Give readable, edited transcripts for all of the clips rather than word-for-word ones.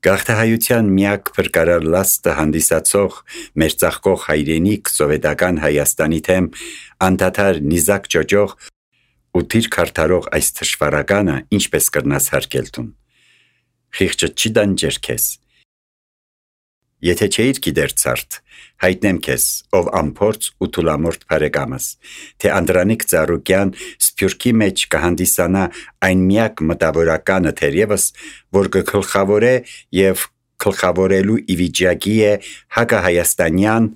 Գաղթահայության միակ փրկարար լաստը հանդիսացող մեր ծաղկող հայրենիք սովետական Հայաստանի թեմ անդադար նիզակ ճոճող ու թիր քարթարող այս թշվառականը ինչպես կրնաս հարգել տուն։ Խիղճը չի դանջեր քեզ։ Եթե չէիր գիտեր ցարդ, հայտնեմ քեզ, ով ամփորձ ու թուլամորթ բարեկամս, թե Անդրանիկ Ծառուկյան Սփյուռքի մեջ կհանդիսանա այն միակ մտավորականը թերևս, որ կգլխավորե եւ գլխավորելու իվիճակի է հակահայաստանյան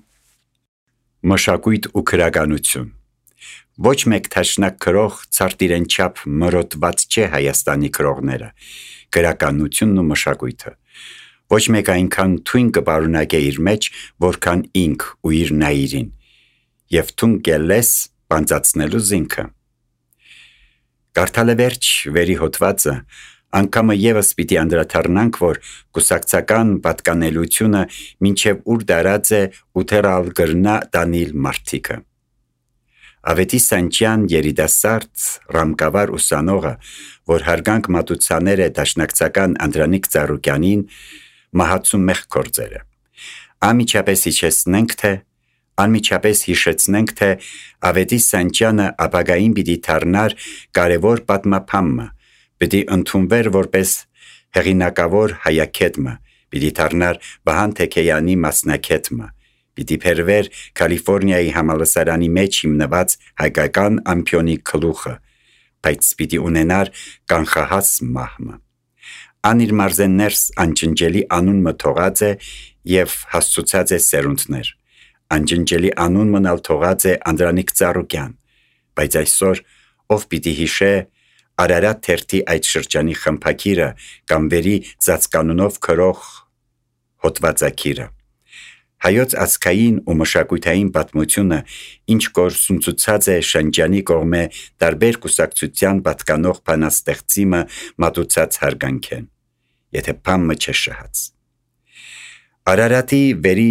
մշակույթ ու քրագանություն։ Ոչ մեկ թաշնակ քրող ցարտ իրեն չափ մրոտված չէ Հայաստանի քրողները, քրագանությունն ու մշակույթը։ Ոչ մեկ այնքան թույն կպարունակե իր մեջ, որքան ինք ու իր նայիրին, եւ թուն կելես բանձացնելու զինքը։ Կարդալը վերջ վերի հոդվածը, անգամը եւս պիտի անդրադառնանք, որ կուսակցական պատկանելությունը մինչև ուր դարած է ու թերալ գրնա դանիլ մարդիկը։ Ավետի Սանչյան երիտասարդ ռամկավար ուսանողը, որ հարգանք մատուցաներ է դաշնակցական Անդրանիկ Ծառուկյանին, մահացու մեղ կործերը։ Անմիջապես հիշեցնենք, թե Ավետի Սանչյանը ապագային պիտի դառնար կարևոր պատմապանմը, պիտի ընդունվեր որպես հեղինակավոր հայաքեթմը, պիտի դառնար Վահան Թեքեյանի մասնակեթմը, պիտի փերվեր Կալիֆոռնիայի համալսարանի մեջ հիմնված հայկական ամփյոնի գլուխը, բայց պիտի ունենար կանխահաս մահմը։ Ան իր մարզեններս անջնջելի անունը թողած է եւ հասցուցած է սերունդներ։ Անջնջելի անուն մնալ թողած է Անդրանիկ Ծառուկյան, բայց այսօր ով պիտի հիշե Արարատ թերթի այդ շրջանի խմփակիրը կամ վերի ծածկանունով քրող հոդվածակիրը։ Հայոց ազգային ու մշակութային պատմությունը ինչ կորսունցուցած է շրջանի կողմէ տարբեր կուսակցության պատկանող բանաստեղծիմը մատուցած հարգանքեն, եթե բամը չէ շահած։ Արարատի վերի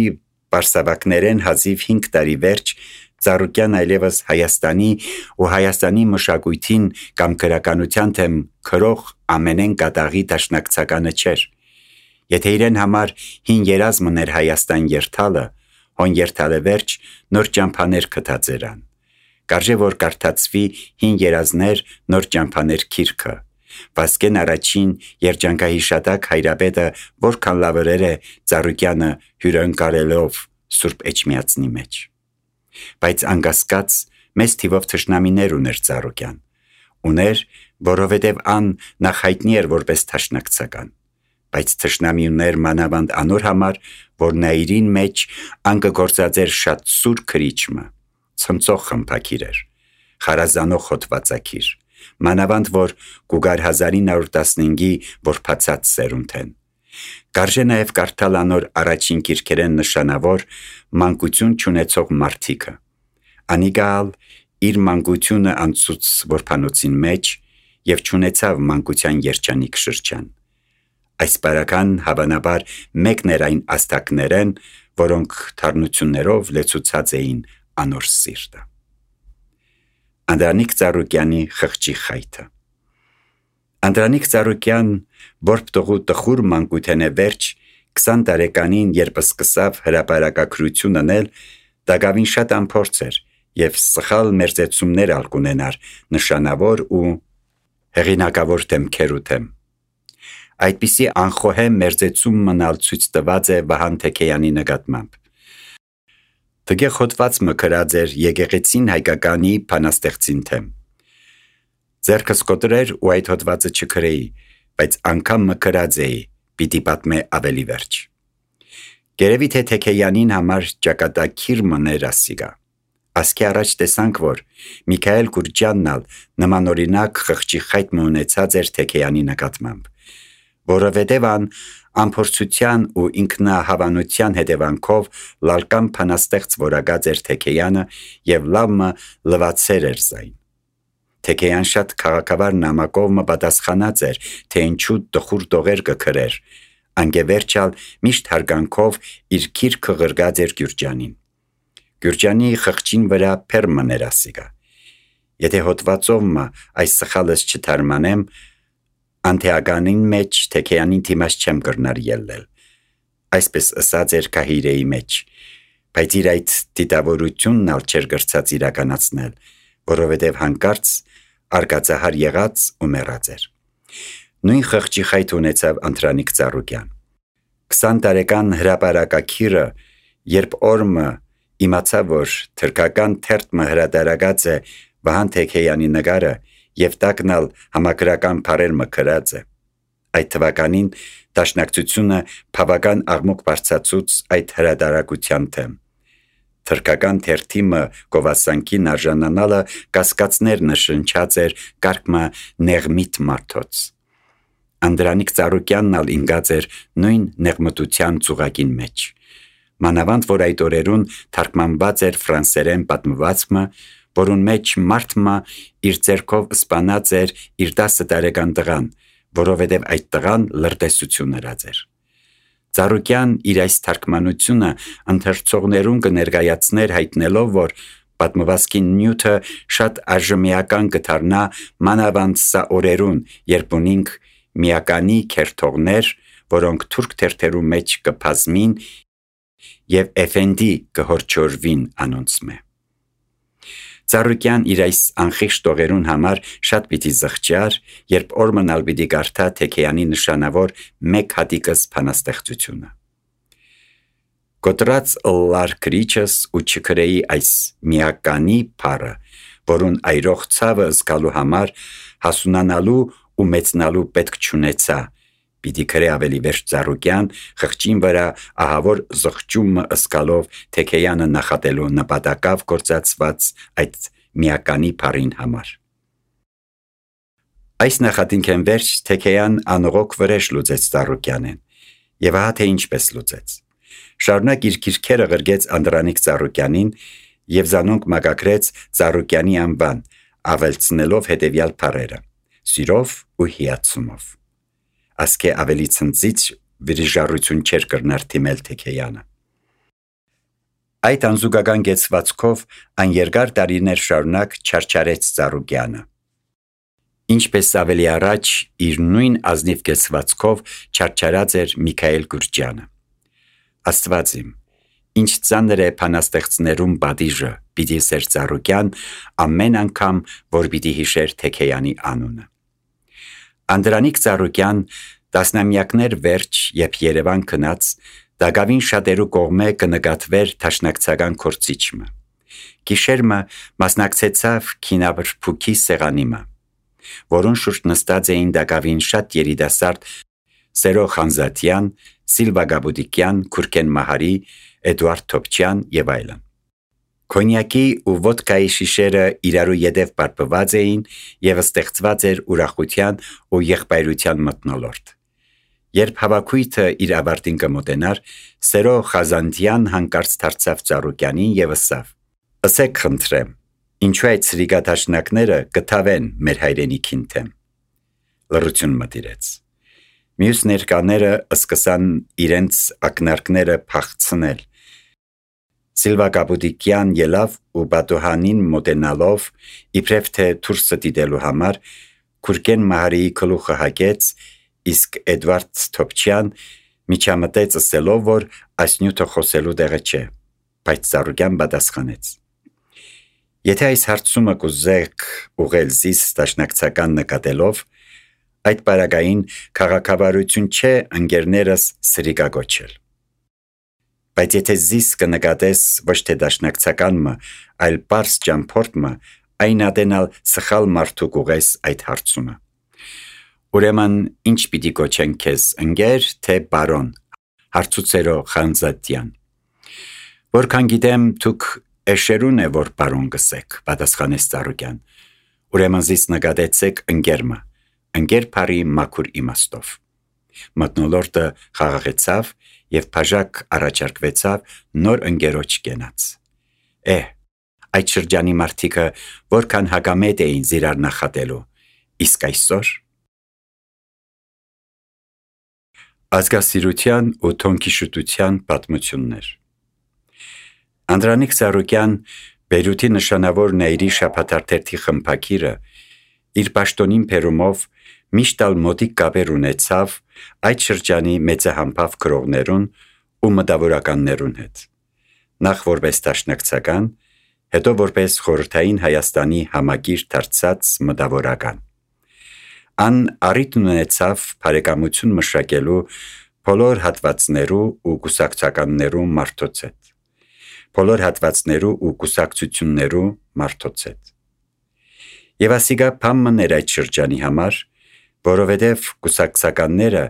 պարսավակներեն հազիվ 5 տարի վերջ Ծառուկյան այլևս Հայաստանի ու Հայաստանի մշակույթին կամ քրականության թեմ քրող ամենեն կատաղի դաշնակցականը չէր։ Եթե իրեն համար հին երազմն էր Հայաստան երթալը, հոն երթալը վերջ նոր ճամփաներ գտած երան։ Կարժե որ կարդացվի հին երազներ նոր ճամփաներ քիրքը։ Վասկեն առաջին երջանկահիշատակ հայրապետը որքան լավերեր է Ծառուկյանը հյուրընկալելով Սուրբ Էջմիածնի մեջ։ Բայց անկասկած մեծ թիվով թշնամիներ ուներ Ծառուկյան։ Ուներ, որովհետև ան նախ հայտնի էր որպես դաշնակցական, բայց թշնամի ուներ մանավանդ անոր համար, որ նայիրին մեջ ան կգործած էր շատ սուր քրիչմը, ցմծող խմփակիր էր, խարազանող հոդվածակիր, մանավանդ որ կուգար 1915-ի որբացած սերունդ են։ Կարժե նաև կարդալ անոր առաջին գիրքերեն նշանավոր մանկություն չունեցող մարդիկը։ Անիգալ իր մանկությունը անցուց որբանոցին մեջ եւ չունեցավ մանկության երջանիկ շրջան։ Այս բարական հավանաբար մեկն էր այն աստակներեն, որոնք թարնություններով լեցուցած էին անոր սիրտը։ Անդրանիկ Ծառուկյանի խղճի խայթը։ Անդրանիկ Ծառուկյան որբտողու տխուր մանկութենե վերջ 20 տարեկանին, երբ սկսավ հրապարակագրություն անել, դակավին շատ ամփորձ էր եւ սխալ մերձեցումներ ալկունենար նշանավոր ու հեղինակավոր դեմքերու դեմ։ Այդպիսի անխոհեմ մերձեցում մնալ ցույց տված է Վահան Թեքեյանի նկատմամբ։ Տգե խոտված մկրած էր եկեղեցին հայկականի բանաստեղծին թեմ։ Ձերքս կոտրեր ու այդ հոդվածը չքրեի, բայց անգամ մկրած էի, պիտի պատմե ավելի վերջ։ Գերևի թե Թեքեյանին համար ճակատագիր մներ ասիգա։ Ասկի առաջ տեսանք, որ Միքայել Գուրջյանն ալ նմանօրինակ խղճի խայտ ունեցած էր Թեքեյանի նկատմամբ, որովհետև ան ամփորձության ու ինքնահավանության հետևանքով լալկան փանաստեղծ որակած էր Թեքեյանը եւ լավը լվացեր էր զայն։ Թեքեյան շատ քաղաքավար նամակով պատասխանած էր, թե ինչու տխուր տողեր կգրեր, անգևերջալ միշտ հարգանքով իր գիրքը ղրգած էր Գյուրջյանին։ Գյուրջյանի խղճին վրա փերմն էր ասիգա։ Եթե հոդվածով այս սխալս չթարմանեմ, Անթեականին մեջ Թեքեյանին թիմած չեմ կրնար ելնել, այսպես ըսած էր Կահիրեի մեջ, բայց իր այդ դիտավորությունն ալ չէր գրծած իրականացնել, որովհետև հանկարծ արկածահար եղած ու մեռած էր։ Նույն խղճի խայթ ունեցավ Անդրանիկ Ծառուկյան։ 20 տարեկան հրապարակակիրը, երբ օրմը իմացավ, որ թրքական թերթը հրատարակած է Վահան Թեքեյանի նկարը եւ տակնալ համակրական բարեր մկրած է։ Այդ թվականին դաշնակցությունը բավական աղմուկ բարձրացուց այդ հրատարակության թեմ։ Թրքական թերթիմը գովասանքին արժանանալը կասկածներ նշնչած էր կարգմա նեղմիտ մարդոց։ Անդրանիկ Ծառուկյանն ալ ինգած էր նույն նեղմտության ծուղակին մեջ։ Մանավանդ որ այդ օրերուն թարգմանված էր ֆրանսերեն պատմվածքը, որուն մեջ մարդմա իր ձեռքով սպանած էր իր 10 տարեկան տղան, որովհետև այդ տղան լրտեսություն հրած էր։ Ծառուկյան իր այս թարգմանությունը ընթերցողներուն կներկայացներ հայտնելով, որ պատմվածքի նյութը շատ արժմիական կդառնա մանավանդ սա օրերուն, երբ ունենք միականի քերթողներ, որոնք թուրք թերթերու մեջ կփազմին եւ էֆենդի կհորջորվին անոնցմե։ Ծառուկյան իր այս անխիղճ տողերուն համար շատ պիտի զղջար, երբ օրմնալ պիտի կարդա Թեքեյանի նշանավոր մեկ հատիկս բանաստեղծությունը։ Կոտրած ըլլար քրիչս ու չքրեի այս միականի փառը, որուն այրող ցավը զգալու համար հասունանալու ու մեծնալու պետք չունեցա, պիտի քրե ավելի վերջ Ծառուկյան խղճին վրա ահավոր զղջումը ըսկալով Թեքեյանը նախատելու նպատակավ գործածված այդ միականի փառին համար։ Այս նախատինքեն վերջ Թեքեյան անողոք վրեժ լուծեց Ծառուկյանեն, եւ ահա թե ինչպես լուծեց։ Շարունակ իր գիրքերը գրգեց Անդրանիկ Ծառուկյանին եւ զանոնք մագակրեց Ծառուկյանի անվան, ավելցնելով հետեւյալ փառերը՝ սիրով ու հիացումով։ Ասկե ավելի ցնծիչ վիրիժառություն չէր կրնար թիմել Թեքեյանը։ Այդ անզուգական գեցվածքով այն երկար տարիներ շարունակ չարչարեց Ծառուկյանը։ Ինչպես ավելի առաջ իր նույն ազնիվ գեցվածքով չարչարած էր Միքայել Գուրջյանը։ Աստված իմ, ինչ ծանր է բանաստեղծներում պատիժը, պիտի սեր Ծառուկյան ամեն անգամ, որ պիտի հիշեր Թեքեյանի անունը։ Անդրանիկ Ծառուկյան տասնամյակներ վերջ, երբ Երևան գնաց, դակավին շատերու կողմէ կնկատվեր դաշնակցական կորցիչը։ Գիշերմը մասնակցեցավ քինաբրփուքի սեղանիմը, որուն շուրջ նստած էին դակավին շատ երիտասարդ Սերո Խանզատյան, Սիլվա Գաբուդիկյան, Քուրքեն Մահարի, Էդուարդ Թոփչյան եւ այլն։ Կոնյակի ու ոդկայի շիշերը իրարու յետև պարպված էին եւ ստեղծված էր ուրախության ու եղբայրության մթնոլորտ։ Երբ հավաքույթը իր ավարտին կմոտենար, Սերո Խազանդյան հանկարծ դարձավ Ծառուկյանին եւ ասավ. «Ասեք խնդրեմ, ինչու այդ սրիգադաշնակները կթավեն մեր հայրենիքին թեմ»։ Լռություն մտիրեց։ Մյուս ներկաները սկսան իրենց ակնարկները փախցնել։ Սիլվա Գաբուդիկյան ելավ ու Բատուհանին մոտենալով, իբրև թե դուրսը դիտելու համար, Քուրքեն Մահարիի գլուխը հագեց, իսկ Էդվարդ Թոփչյան միջամտեց ասելով, որ այս նյութը խոսելու տեղը չէ, բայց Ծառուկյան պատասխանեց. «Եթե այս հարցումը կուզեք ուղղել զիս դաշնակցական նկատելով, այդ պարագային քաղաքավարություն չէ ընկերներս սրիկագոչել։ Բայց եթե զիս կնկատես ոչ թե դաշնակցականմը, այլ պարս ճամփորդմը, այն ադենալ սխալ մարդու կուղես այդ հարցումը։ Ուրեմն ինչ պիտի կոչեն քեզ, ընկեր թե բարոն, հարցուցերո Խանզատյան։ Որքան գիտեմ, դուք էշերուն է, որ բարոն գսեք, պատասխանեց Ծառուկյան։ Ուրեմն զիս նկատեցեք ընկերմը, ընկեր բարի մաքուր իմաստով։ Մթնոլորտը խաղաղեցավ եւ բաժակ առաջարկվեցավ նոր ընկերոջ կենաց։ Այդ շրջանի մարդիկը որքան հակամետ էին զիրար նախատելու, իսկ այսօր ազգասիրության ու թոնքիշուտության պատմություններ։ Անդրանիկ Ծառուկյան, Բեյրութի նշանավոր Նայրի շաբաթաթերթի խմբագիրը, իր պաշտոնին բերումով Միշտ ալ մոտիկ կապեր ունեցավ այդ շրջանի մեծահամբավ գրողներուն ու մտավորականներուն հետ, նախ որպես դաշնակցական, հետո որպես խորհրդային Հայաստանի համագիր դարձած մտավորական։ Ան առիթ ունեցավ բարեկամություն մշակելու բոլոր հատվածներու ու կուսակցականներու մարդոց հետ, բոլոր հատվածներու ու կուսակցություններու մարդոց հետ։ Եվ ասիգա փամմն էր այդ շրջանի համար, որովհետև կուսակցականները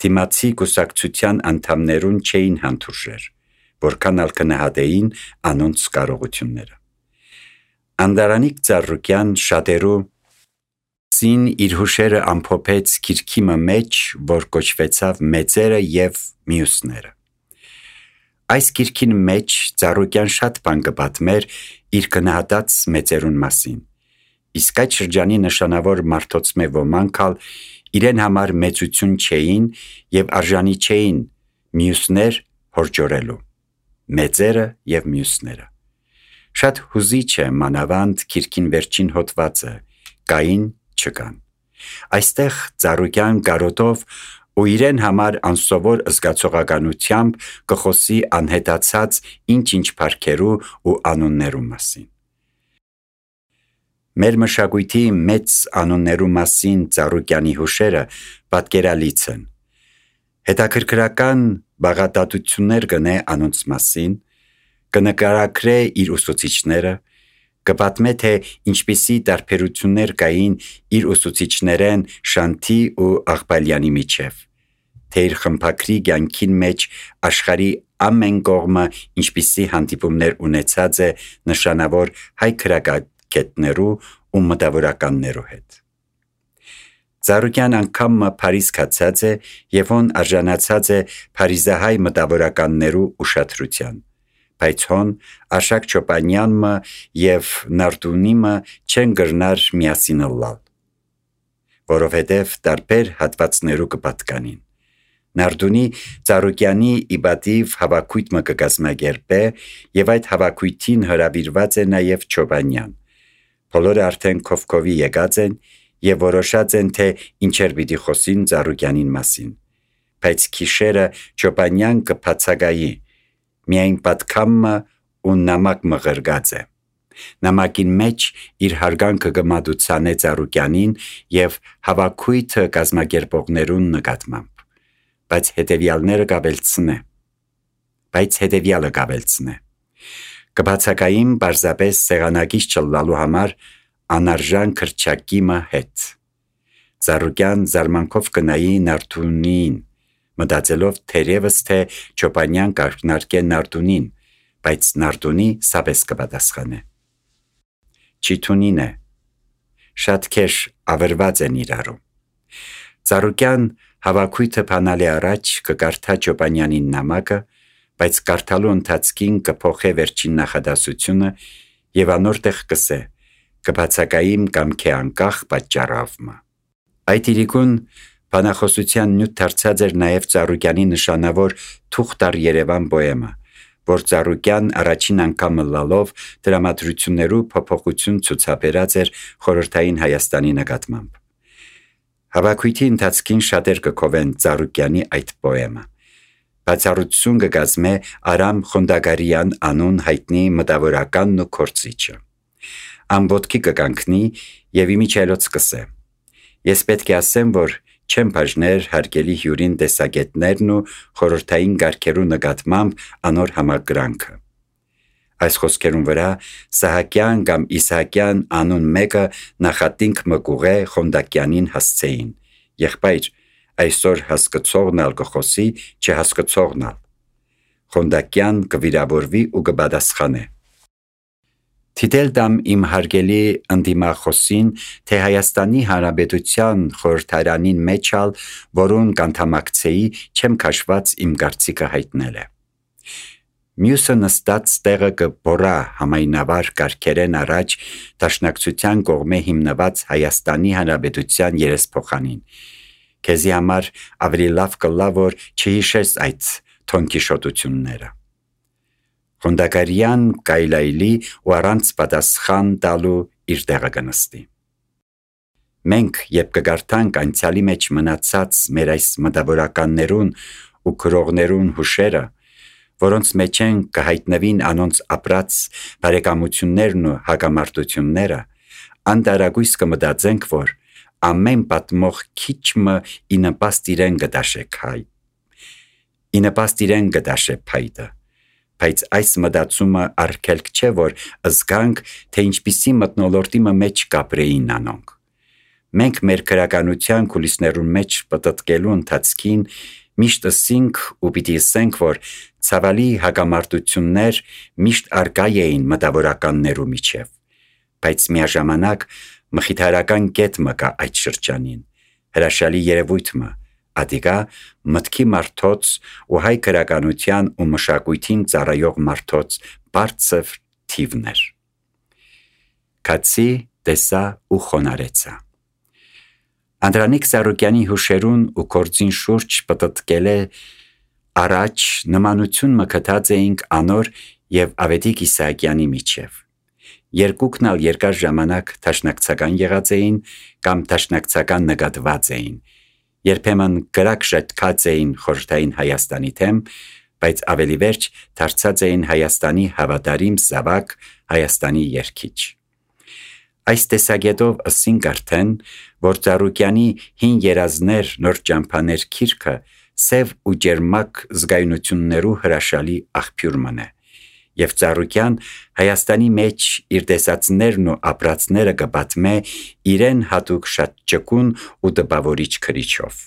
դիմացի կուսակցության անդամներուն չէին հանդուրժեր, որքան ալ կնահատեին անոնց կարողությունները։ Անդրանիկ Ծառուկյան շատերու սին իր հուշերը ամփոփեց գիրքիմը մեջ, որ կոչվեցավ «Մեծերը և մյուսները»։ Այս գիրքին մեջ Ծառուկյան շատ բան կպատմեր իր գնահատած մեծերուն մասին, իսկ այդ շրջանի նշանավոր մարդոցմե ոմանք ալ իրեն համար մեծություն չէին և արժանի չէին մյուսներ հորջորելու, մեծերը և մյուսները։ Շատ հուզիչ է մանավանդ գիրքին վերջին հոդվածը, կային չկան։ Այստեղ Ծառուկյան կարոտով ու իրեն համար անսովոր զգացողականությամբ կխոսի անհետացած ինչ-ինչ փառքերու ու անուններու մասին։ Մեր մշակույթի մեծ անուններու մասին Ծառուկյանի հուշերը պատկերալից են։ Հետաքրքրական բաղատատություններ կնե անոնց մասին, կնկարագրե իր ուսուցիչները, կպատմե թե ինչպիսի տարբերություններ կային իր ուսուցիչներեն Շանթի ու Աղբալյանի միջև, թե իր խմբագրի կյանքին մեջ աշխարհի ամեն կողմը ինչպիսի հանդիպումներ ունեցած է նշանավոր հայ գրագետներու ու մտավորականներու հետ։ Ծառուկյան անգամը Փարիզ գացած է և հոն արժանացած է փարիզահայ մտավորականներու ուշադրության, բայց հոն Արշակ Չոպանյանը և Նարդունիմը չեն գրնար միասին ըլլալ, որովհետև տարբեր հատվածներու կպատկանին։ Նարդունի Ծառուկյանի իբատիվ հավաքույթը կկազմակերպե և այդ հավաքույթին հրավիրված է նաև Չոպանյան։ Բոլորը արդեն քովքովի եկած են և որոշած են, թե ինչեր պիտի խոսին Ծառուկյանին մասին, բայց գիշերը Չոպանյան կբացակայի, միայն պատգամը ու նամակ մղրգած է։ Նամակին մեջ իր հարգանքը կմատուցանե Ծառուկյանին և հավաքույթը կազմակերպողներուն նկատմամբ, բայց հետևյալը կավելցնե։ Կբացակային պարզապես սեղանակից չլալու համար անարժան քրչակիմը հետ։ Ծառուկյան զարմանքով կնայի Նարդունին, մտածելով թերևս թե Չոպանյան կարկնարկե Նարդունին, բայց Նարդունի սապես կպատասխանե։ Չիթունին է, շատ քեշ ավրված են իրարու։ Ծառուկյան հավաքույթը բանալի առաջ կկարդա Չոպանյանին նամակը, բայց կարդալու ընթացքին կփոխե վերջին նախադասությունը և անոր տեղ կսե, կբացակայիմ կամքի անկախ պատճառավը։ Այդ իրիկուն բանախոսության նյութ դարձած էր նաև Ծառուկյանի նշանավոր «Թուղթ առ Երևան» պոեմը, որ Ծառուկյան առաջին անգամ լալով դրամատրություններու փոփոխություն ցուցաբերած էր խորհրդային Հայաստանի նկատմամբ։ Հավաքույթի ընթացքին շատեր կգովեն Ծառուկյանի այդ պոեմը։ Բացառություն կկազմե Արամ Խոնդագարյան անուն հայտնի մտավորականն ու քորձիչը։ Ամբոտքի կկանգնի և իմիջիայլոց կսե. «Ես պետք է ասեմ, որ չեմ բաժներ հարգելի հյուրին տեսակետներն ու խորհրդային կարգերու նկատմամբ անոր համակրանքը»։ Այս խոսքերուն վրա Սահակյան կամ Իսահակյան անուն մեկը նախատինք մկուղե Խոնդակյանին հասցեին. «Եղբայր, այսօր հասկացողն ալ կխոսի, չհասկացողն ալ»։ Խոնդակյան կվիրավորվի ու կպատասխանե. «Թիդել դամ իմ հարգելի ընդդիմախոսին, թե Հայաստանի Հանրապետության խորհրդարանին մեջ ալ, որուն կանդամակցեի, չեմ քաշված իմ կարծիքը հայտնել է»։ Մյուսը նստած տեղը կբոռա համայնավար կարգերեն առաջ դաշնակցության կողմե հիմնված Հայաստանի Հանրապետության երեսփոխանին։ Քեզի համար ավելի լավ կլա, որ չհիշես այդ թոնքիշոտությունները։ Խոնդագարյան կայլայլի ու առանց պատասխան տալու իր տեղը կնստի։ Մենք երբ կգարթանք անցյալի մեջ մնացած մեր այս մտավորականներուն ու քրողներուն հուշերը, որոնց մեջ են կհայտնվին անոնց ապրած բարեկամություններն ու հակամարտությունները, անդարագույս կմտածենք, որ ամեն պատմող քիչմը ինպաստ իրեն գդաշե փայտը, բայց այս մտածումը արգելք չէ, որ զգանք, թե ինչպիսի մթնոլորտի մեջ կապրեին անոնք։ Մենք մեր քրականության կուլիսներուն մեջ պտտկելու ընթացքին միշտ ասինք ու պիտի ասենք, որ ցավալի հակամարտություններ միշտ արկա էին մտավորականներու միջև, բայց միաժամանակ մխիթարական կետ մը կա այդ շրջանին, հրաշալի երևույթ մը, ադիգա մտքի մարդոց ու հայ քրականության ու մշակույթին ծառայող մարդոց բարձր թիվներ։ Կացի, տեսա ու խոնարեցա։ Անդրանիկ Ծառուկյանի հուշերուն ու կորձին շուրջ պտտկել է առաջ նմանություն մկտած էինք Անոր և Ավետիք Իսահակյանի միջև։ Երկուքն ալ երկար ժամանակ դաշնակցական եղած էին կամ դաշնակցական նկատված էին, երբեմն կրակ շտկած էին խորհրդային Հայաստանի թեմ, բայց ավելի վերջ դարձած էին Հայաստանի հավատարիմ զավակ, Հայաստանի երգիչ։ Այս տեսակետով ասինք արդեն, որ Ծառուկյանի հին երազներ, նոր ճամփաներ գիրքը սև ու ջերմակ զգայունություններու հրաշալի աղբյուր մնե, և Ծառուկյան Հայաստանի մեջ իր տեսածներն ու ապրածները կպատմե իրեն հատուկ շատ ճկուն ու տպավորիչ քրիչով։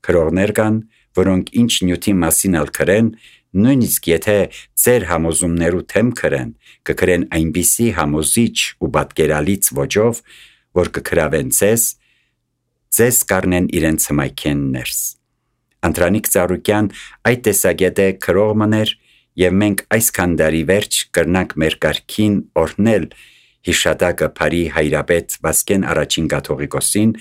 Քրողներ կան, որոնք ինչ նյութի մասին ալ քրեն, նույնիսկ եթե ձեր համոզումներու թեմ քրեն, կքրեն այնպիսի համոզիչ ու պատկերալից ոճով, որ կքրավեն ձեզ կառնեն իրենց հմայքեն ներս։ Անդրանիկ Ծառուկյան այդ տեսակետը քրող մներ, և մենք այսքան դարի վերջ կրնանք մեր կարգին օրհնել հիշատակը Փարի հայրապետ Վասկեն առաջին կաթողիկոսին,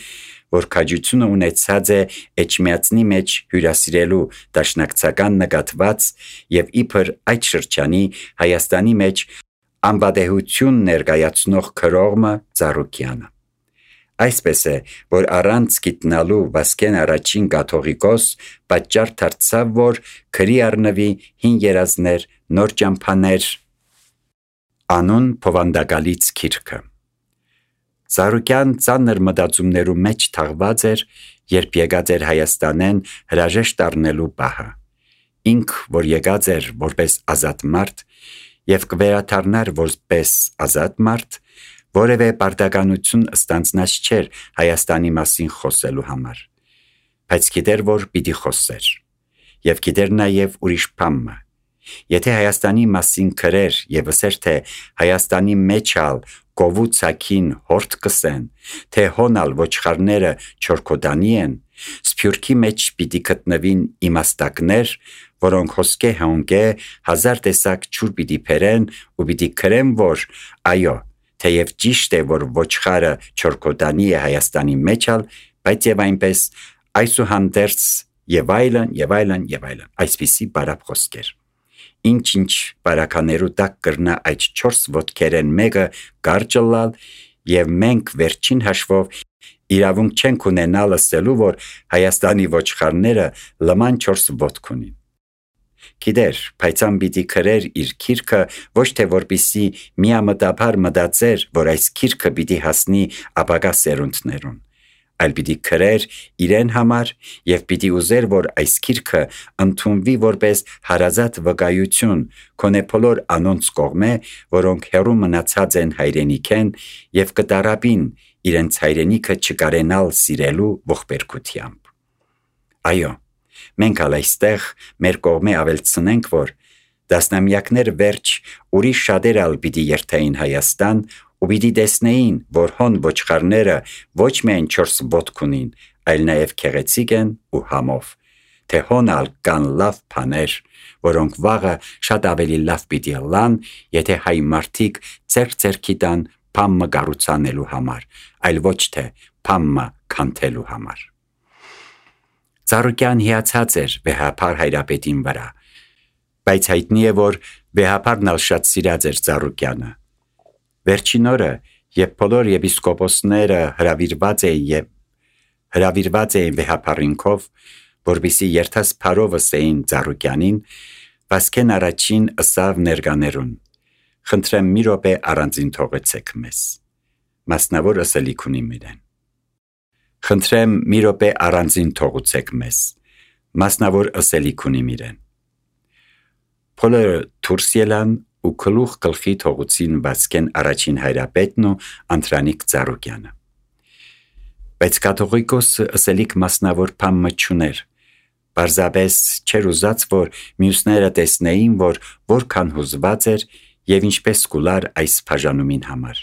որ քաջությունը ունեցած է Էջմիածնի մեջ հյուրասիրելու դաշնակցական նկատված և իբր այդ շրջանի Հայաստանի մեջ անվադեհություն ներկայացնող քրողը Ծառուկյանը։ Այսպես է, որ առանց գիտնալու Վասկեն առաջին կաթողիկոս պատճառ դարձավ, որ քրի առնվի հին երազներ, նոր ճամփաներ անուն փովանդակալից գիրքը։ Ծառուկյան ծանր մտածումներու մեջ թաղված էր, երբ եկած էր Հայաստանեն հրաժեշտ առնելու պահը։ Ինք, որ եկած էր որպես ազատ մարդ և կվերադառնար որպես ազատ մարդ, որևէ պարտականություն ստանձնած չէր Հայաստանի մասին խոսելու համար, բայց գիտեր, որ պիտի խոսեր, և գիտեր նաև ուրիշ բանը։ Եթե Հայաստանի մասին քրեր և ասեր, թե Հայաստանի մեջ ալ կովու ցակին հորդ կսեն, թե հոնալ ոչխարները չորքոտանի են, սփյուռքի մեջ պիտի գտնվին իմաստակներ, որոնք հոսքե հոնգե հազար տեսակ ջուր պիտի բերեն ու պիտի քրեն, որ այո, թեև ճիշտ է, որ ոչխարը չորքոտանի է Հայաստանի մեջ ալ, բայց և այնպես այսուհանդերձ և այլն, այսպիսի բարապ խոսքեր։ Ինչ բարականերու տակ կրնա այդ 4 ոտքերեն մեկը կարճլալ, և մենք վերջին հաշվով իրավունք չենք ունենալ ասելու, որ Հայաստանի ոչխարները լման 4 ոտք ունին։ Գիտեր, փայծան պիտի քրեր իր գիրքը ոչ թե որպիսի միամտաբար մտածեր, որ այս գիրքը պիտի հասնի ապագա սերունդներուն, այլ պիտի քրեր իրեն համար և պիտի ուզեր, որ այս գիրքը ընդունվի որպես հարազատ վկայություն քոնե բոլոր անոնց կողմե, որոնք հեռու մնացած են հայրենիքեն և կտարապին իրենց հայրենիքը չկարենալ սիրելու ողբերգությամբ։ Այո, մենք ալ այստեղ մեր կողմե ավելցնենք, որ դասնամյակներ վերջ ուրիշ շատեր ալ պիտի երթային Հայաստան ու պիտի տեսնեին, որ հոն ոչխարները ոչ միայն 4 ոտք ունին, այլ նաև քեղեցիկ են ու համով, թե հոն ալ կան լավ բաներ, որոնք վաղը շատ ավելի լավ պիտի լան, եթե հայ մարդիկ ձեռքի տան բամը կառուցանելու համար, այլ ոչ թե բամը քանթելու համար։ Ծառուկյան հիացած էր վեհափար հայրապետին վրա, բայց հայտնի է, որ վեհափարն ալ շատ սիրած էր Ծառուկյանը։ Վերջին օրը, Եվ բոլոր եպիսկոպոսները հրավիրված էին վեհապարինքով, որպեսզի երթաս փարով ըսեին Ծառուկյանին, Վասկեն առաջին ըսավ ներկաներուն. «Խնդրեմ մի րոպե առանձին թողեցեք մեզ»։ Մասնավոր ըսելիք ունի իրեն։ «Խնդրեմ մի րոպե առանձին թողուցեք մեզ»։ Մասնավոր ըսելիք ունի իրեն։ Բոլորը դուրս ելան ու գլուխ գլխի թողուցին Վասկեն առաջին հայրապետն ու Անդրանիկ Ծառուկյանը։ Բայց կաթողիկոսը ըսելիք մասնավոր բան չուներ։ Պարզապես չէր ուզած, որ մյուսները տեսնեին, որ որքան հուզված էր և ինչպես կուլար այս բաժանումին համար։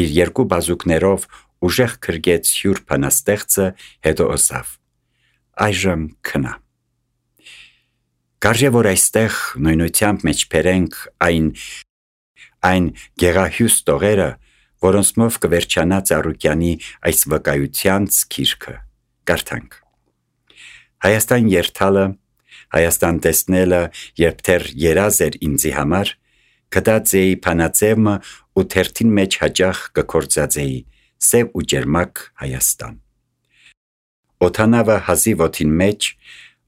Իր երկու բազուկներով ուժեղ քրկեց հյուր բանաստեղծը, հետո ըսավ. «Այժմ քնա»։ Կարժե որ այստեղ նույնությամբ մեջ բերենք այն գեղահյուս տողերը, որոնցմով կվերջանա Ծառուկյանի այս վկայությանց գիրքը։ Կարդանք. Հայաստան երթալը, Հայաստան տեսնելը, երբ դեռ երազ էր ինձի համար, գտած էի բանաձևը ու թերթին մեջ հաճախ կգործածեի սև ու ջերմակ Հայաստան։ Օդանավը հազիվ օդին մեջ,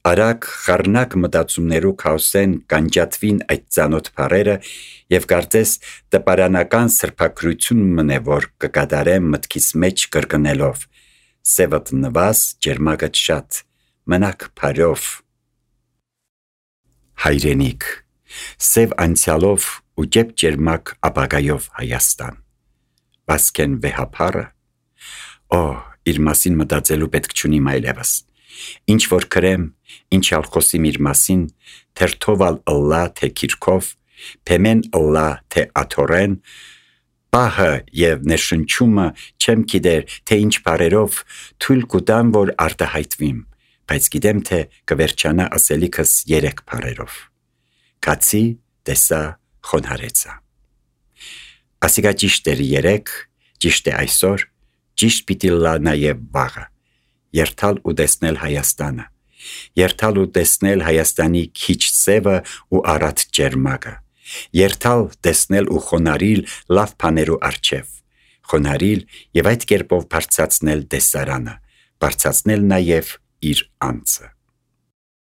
արագ խառնակ մտածումներու քաոսեն կանջատվին այդ ծանոթ բառերը և կարծես տպարանական սրբագրություն մնե, որ կկատարեմ մտքիս մեջ կրկնելով. «Սևըդ նվազ, ջերմակդ շատ, մնաք փարով»։ Հայրենիք, սև անցյալով ու ջեփ ջերմակ ապագայով Հայաստան։ Վասկեն վեհապարը։ Իր մասին մտածելու պետք չունիմ այլևս։ Ինչ որ գրեմ, ինչ ալ խոսիմ իր մասին, թերթովալ ըլլա թե քիրքով, փեմեն ըլլա թե աթորեն, պահը և ներշնչումը չեմ գիտեր, թե ինչ բառերով թույլ կուտամ, որ արտահայտվիմ, բայց գիտեմ, թե կվերջանա ասելիքս 3 բառերով. «Կացի, տեսա, խոնհարեցա»։ Ասիկա ճիշտ էր 3, ճիշտ է այսօր, ճիշտ պիտի լա նաև վաղը։ Երթալ ու տեսնել Հայաստանը։ Երթալ ու տեսնել Հայաստանի քիչ սևը ու առատ ջերմակը։ Երթալ, տեսնել ու խոնարհիլ լավ բաներու առջև։ Խոնարհիլ և այդ կերպով բարձրացնել տեսարանը, բարձրացնել նաև իր անձը։